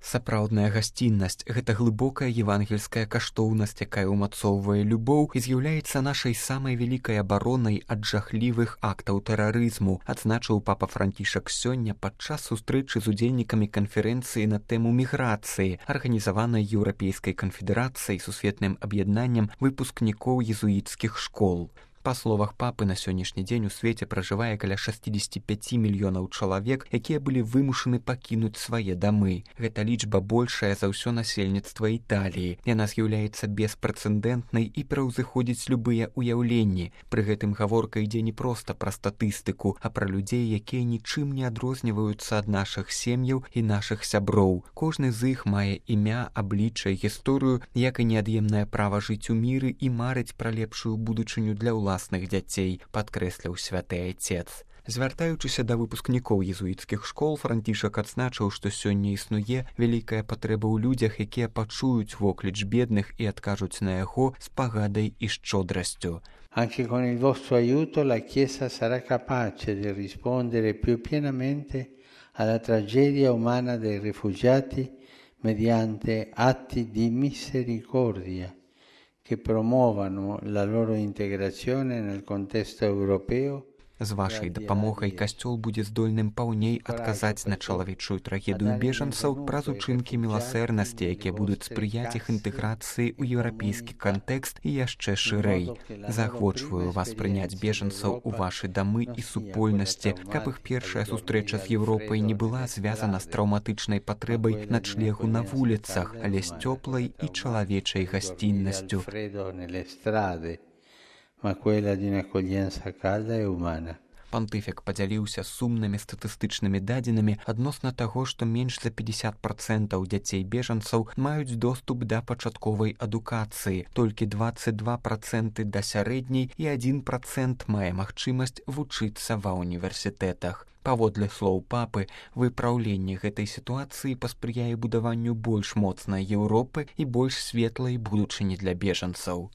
Сапраўдная гасціннасць – гэта глыбокая евангельская каштоўнасць, якая ўмацоўвае любоў і з'яўляецца нашай самай вялікай абаронай ад жахлівых актаў тэрарызму, адзначыў папа Францішак сёння падчас сустрэчы з удзельнікамі канферэнцыі на тэму міграцыі, арганізаванай Еўрапейскай канфедэрацыяй сусветным аб'яднаннем выпускнікоў езуіцкіх школ. Па словах папы, на сённяшні дзень у свеце пражывае каля 65 мільёнаў чалавек, якія былі вымушаны пакінуць свае дамы. Гэта лічба большая за ўсё насельніцтва Італіі. Яна з'яўляецца беспрэцэдэнтнай і пераўзыходзіць любыя ўяўленні. Пры гэтым гаворка ідзе не проста пра статыстыку, а пра людзей, якія нічым не адрозніваюцца ад нашых сем'яў і нашых сяброў. Кожны з іх мае імя, аблічча і гісторыю, як і неад'емнае права жыць у міры і марыць пра лепшую будучыню для ўласных дзяцей, падкрэсліў святы айцец. Звяртаючыся да выпускнікоў езуіцкіх школ, Францішак адзначыў, што сёння існуе вялікая патрэба ў людзях, якія пачуюць вокліч бедных і адкажуць на яго з пагадай і шчодрасцю. Anche con il vostro aiuto la Chiesa sarà capace di rispondere più pienamente alla tragedia umana dei rifugiati mediante atti di misericordia che promuovano la loro integrazione nel contesto europeo. З вашай дапамогай касцёл будзе здольным паўней адказаць на чалавечую трагедыю бежанцаў праз учынкі міласэрнасці, якія будуць спрыяць іх інтэграцыі ў еўрапейскі кантэкст і яшчэ шырэй. Заахвочваю вас прыняць бежанцаў у вашы дамы і супольнасці, каб іх першая сустрэча з Еўропай не была звязана з траўматычнай патрэбай начлегу на вуліцах, але з цёплай і чалавечай гасціннасцю. Пантыфік падзяліўся сумнымі статыстычнымі дадзенымі адносна таго, што менш за 50% дзяцей-бежанцаў маюць доступ да пачатковай адукацыі, толькі 22% да сярэдняй і 1% мае магчымасць вучыцца ва ўніверсітэтах. Паводле слоў папы, выпраўленне гэтай сітуацыі паспрыяе будаванню больш моцнай Еўропы і больш светлай будучыні для бежанцаў.